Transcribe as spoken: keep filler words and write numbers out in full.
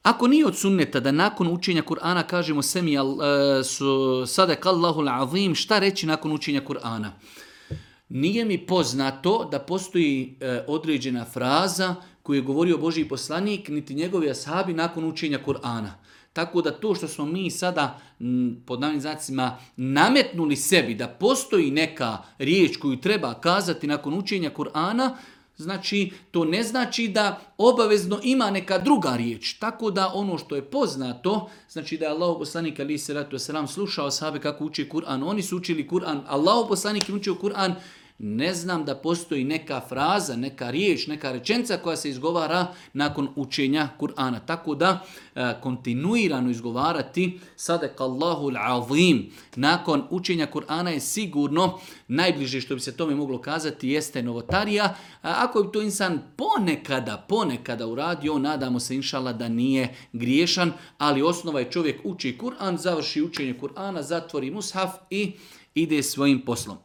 Ako nije od sunneta da nakon učenja Kur'ana kažemo semi uh, su sadakallahu al-azim, šta reći nakon učenja Kur'ana? Nije mi poznato da postoji uh, određena fraza koju je govorio Božji poslanik, niti njegovi ashabi nakon učenja Kur'ana. Tako da to što smo mi sada pod navodnim znacima nametnuli sebi da postoji neka riječ koju treba kazati nakon učenja Kur'ana, znači to ne znači da obavezno ima neka druga riječ. Tako da ono što je poznato, znači da je Allahov poslanik alejhi selatu vesselam slušao ashabe kako uči Kur'an, oni su učili Kur'an, Allahov poslanik je učio Kur'an. Ne znam da postoji neka fraza, neka riječ, neka rečenica koja se izgovara nakon učenja Kur'ana. Tako da e, kontinuirano izgovarati sadakallahu al-azim nakon učenja Kur'ana je sigurno najbliže što bi se tome moglo kazati jeste novotarija. A ako bi to insan ponekada, ponekada uradio, nadamo se inšallah da nije griješan, ali osnova je čovjek uči Kur'an, završi učenje Kur'ana, zatvori mushaf i ide svojim poslom.